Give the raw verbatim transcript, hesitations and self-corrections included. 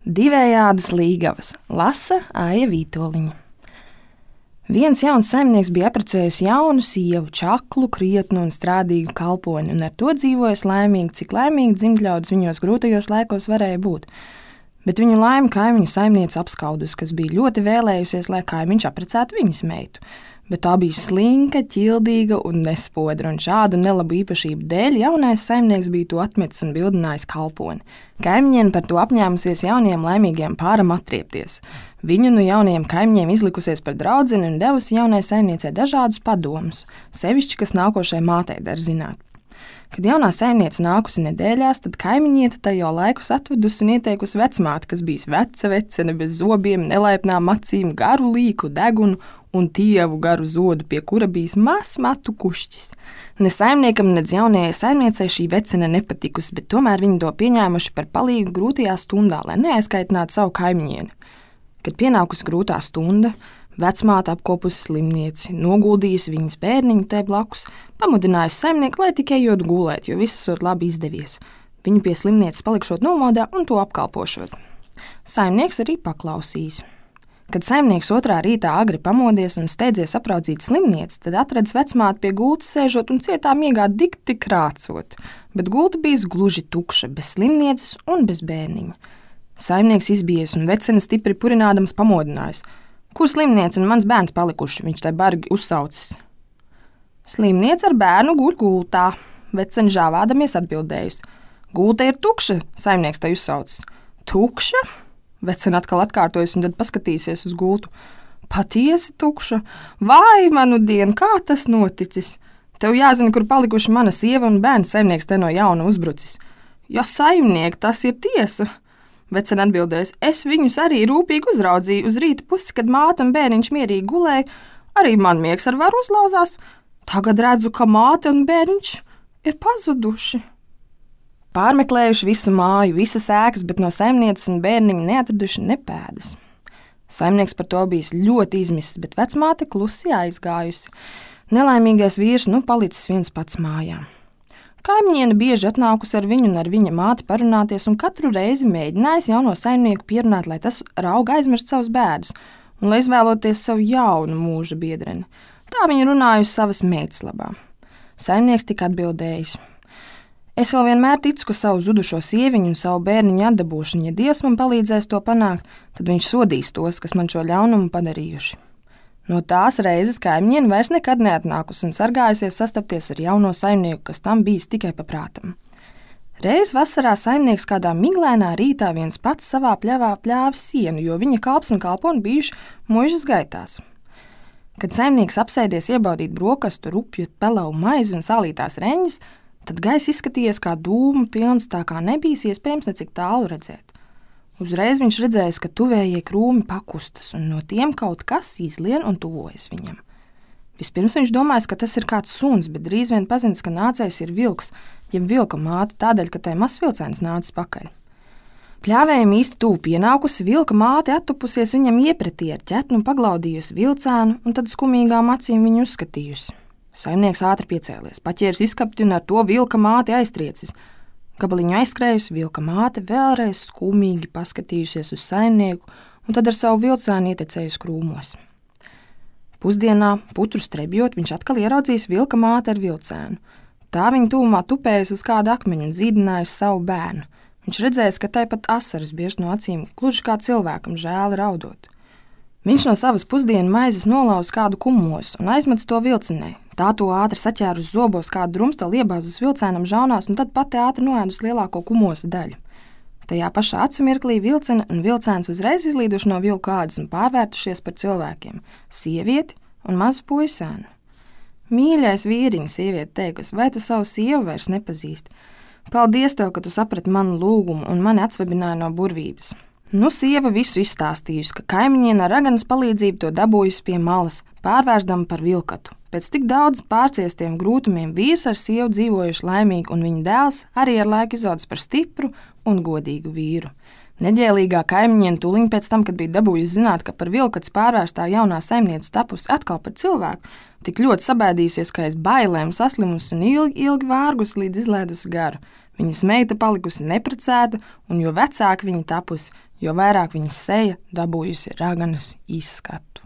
Divējādas līgavas lasa Aija Vītoliņa. Viens jauns saimnieks bija apprecējis jaunu sievu, čaklu, krietnu un strādīgu kalponi, un ar to dzīvojas laimīgi, cik laimīgi dzimtļaudis viņos grūtajos laikos varēja būt. Bet viņu laimi kaimiņu saimniece apskaudus, kas bija ļoti vēlējusies, lai kaimiņš apprecētu viņas meitu. Bet tā bija slinka, ķildīga un nespodra, un šādu nelabu īpašību dēļ jaunais saimnieks bija to atmetis un bildinājis kalponi. Kaimiņiene par to apņēmusies jauniem laimīgiem pāram atriepties. Viņu no jaunajiem kaimiņiem izlikusies par draudzeni un devusi jaunai saimniecei dažādus padomus, sevišķi, kas nākošajai mātei dar zināt. Kad jaunā saimniece nākusi nedēļās, tad kaimiņiete tai jau laikus atvedusi un ieteikusi vecmāti, kas bijis veca vecene bez zobiem, nelaipnām acīm, garu līku degunu un tievu garu zodu, pie kura bijis mazs matu kušķis. Ne saimniekam, nedz jaunajai saimniecei šī vecene nepatikusi, bet tomēr viņi to pieņēmuši par palīgu grūtajā stundā, lai neaizkaitinātu savu kaimiņieni. Kad pienākusi grūtā stunda, vecmāte apkopusi slimnieci, noguldījusi viņas bērniņu te blakus, pamudinājusi saimnieku, lai tikai ejot gulēt, jo viss esot labi izdevies. Viņu pie slimnieces palikšot nomodā un to apkalpošot. Saimnieks arī paklausījis. Kad saimnieks otrā rītā agri pamodies un steidzies apraudzīt slimnieci, tad atradis vecmāti pie gultas sēžot un cietā miegā dikti krācot, bet gulta bijis gluži tukša, bez slimnieces un bez bērniņa. Saimnieks izbijies un vecene stipri purinādams pamodinājis. Kur slimniece un mans bērns palikuši, viņš tai bargi uzsaucis. Slimniece ar bērnu guļ gultā, vecene žāvādamies atbildējusi. Gulta ir tukša, saimnieks tai uzsaucis. Tukša? Vecene atkal atkārtojas un tad paskatīsies uz gultu. Patiesi tukša? Vai, manu dienu, kā tas noticis? Tev jāzina, kur palikuši mana sieva un bērns, saimnieks te no jauna uzbrucis. Ja saimnieki, tas ir tiesa. Vecene atbildēs, es viņus arī rūpīgi uzraudzīju uz rīta pusi, kad māte un bērniņš mierīgi gulēja, arī man miegs ar varu uzlauzās. Tagad redzu, ka māte un bērniņš ir pazuduši. Pārmeklējuši visu māju, visas ēkas, bet no saimnieces un bērniņa neatraduši ne pēdas. Saimnieks par to bijis ļoti izmisis, bet vecmāte klusi aizgājusi. Nelaimīgais vīrs nu palicis viens pats mājā. Kaimiņiene bieži atnākusi ar viņu un ar viņa māti parunāties un katru reizi mēģinājis jauno saimnieku pierunāt, lai tas rauga aizmirst savus bēdus un lai izvēloties savu jaunu mūža biedreni. Tā viņa runājusi savas meitas labā. Saimnieks tika atbildējis. Es vēl vienmēr ticu, ka savu zudušo sieviņu un savu bērniņu atdabūšu, un ja Dievs man palīdzēs to panākt, tad viņš sodīs tos, kas man šo ļaunumu padarījuši. No tās reizes kaimiņiene vairs nekad neatnākusi un sargājusies sastapties ar jauno saimnieku, kas tam bijis tikai pa prātam. Reiz vasarā saimnieks kādā miglēnā rītā viens pats savā pļavā pļāvis sienu, jo viņa kalps un kalponi bijuši muižas gaitās. Kad saimnieks apsēdies iebaudīt brokastu, rupju, pelavu maizi un salītās reņģis, tad gaiss izskatījies kā dūmu pilns, tā kā nebijis iespējams necik tālu redzēt. Uzreiz viņš redzējis, ka tuvējie krūmi pakustas, un no tiem kaut kas izlien un tuvojas viņam. Vispirms viņš domājis, ka tas ir kāds suns, bet drīz vien pazins, ka nācējs ir vilks, jeb vilka māte, tādēļ, ka tai mazs vilcēns nācis pakaļ. Pļāvējiem īsti tuvu pienākusi, vilka māte attupusies viņam iepretī ar ķetnu, paglaudījusi vilcēnu un tad skumīgām acīm viņu uzskatījusi. Saimnieks ātri piecēlies, paķēris izskapti un ar to vilka māti aiztriecis. Gabaliņu aizskrējusi, vilka māte vēlreiz skumīgi paskatījusies uz saimnieku un tad ar savu vilcēnu ietecējusi krūmos. Pusdienā, putru strebjot, viņš atkal ieraudzījis vilka māti ar vilcēnu. Tā viņa tūmā tupējusi uz kādu akmeņu un zīdinājusi savu bērnu. Viņš redzējis, ka tai pat asaras biež no acīm, gluži kā cilvēkam žēli raudot. Viņš no savas pusdienu maizes nolauz kādu kumos un aizmets to vilcenē. Tā to ātri saķēra uz zobos kādu drumstali, iebāzus vilcēnam žaunās un tad pati ātri noēdus lielāko kumosa daļu. Tajā pašā acu mirklī vilcene un vilcēns uzreiz izlīduši no vilku ādas un pārvērtušies par cilvēkiem – sievieti un mazu puisēnu. Mīļais vīriņ, sieviete teikusi, vai tu savu sievu vairs nepazīsti? Paldies tev, ka tu saprati manu lūgumu un mani atsvabināji no burvības. Nu, sieva visu izstāstījusi, ka kaimiņiene ar raganas palīdzību to dabūjusi pie malas, pārvērsdama par vilkatu. Pēc tik daudz pārciestiem grūtumiem vīrs ar sievu dzīvojuši laimīgi, un viņa dēls arī ar laiku izaudzis par stipru un godīgu vīru. Neģēlīgā kaimiņiene tūliņ pēc tam, kad bija dabūjusi zināt, ka par vilkats pārvērstā jaunā saimniece tapusi atkal par cilvēku, tik ļoti sabēdījusies, ka aiz bailēm saslimusi un ilgi, ilgi vārgus līdz izlēdusi garu. Viņas meita palikusi neprecēta, un jo vecāka viņa tapusi, jo vairāk viņas seja dabūjusi raganas izskatu.